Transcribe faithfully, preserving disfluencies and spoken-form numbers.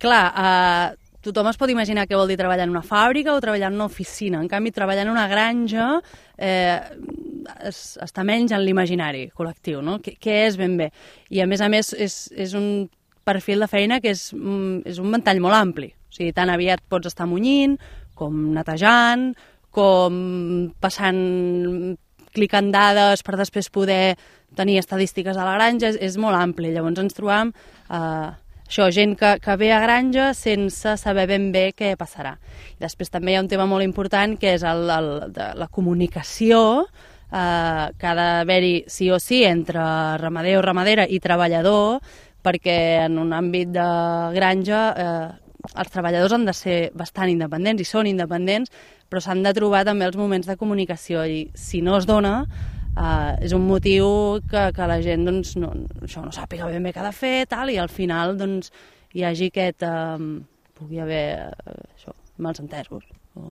clar, eh, tothom es pot imaginar què vol dir treballar en una fàbrica o treballar en una oficina. En canvi, treballar en una granja eh, es, està menys en l'imaginari col·lectiu, no? Què, què és ben bé? I a més a més és, és un perfil de feina que és, és un ventall molt ampli. O sigui, tan aviat pots estar munyint, com netejant, com passant, clicant dades per després poder tenir estadístiques a la granja, és, és molt ampli. Llavors ens trobam eh, això, gent que, que ve a granja sense saber ben bé què passarà. I després també hi ha un tema molt important que és el, el, de la comunicació eh, que ha d'haver-hi sí o sí entre ramader o ramadera i treballador, perquè en un àmbit de granja eh, els treballadors han de ser bastant independents i són independents, però s'han de trobar també els moments de comunicació i si no es dona eh, és un motiu que, que la gent doncs, no, això no sàpiga ben bé què ha de fer tal, i al final doncs, hi hagi aquest, eh, pugui haver eh, això, malentesos.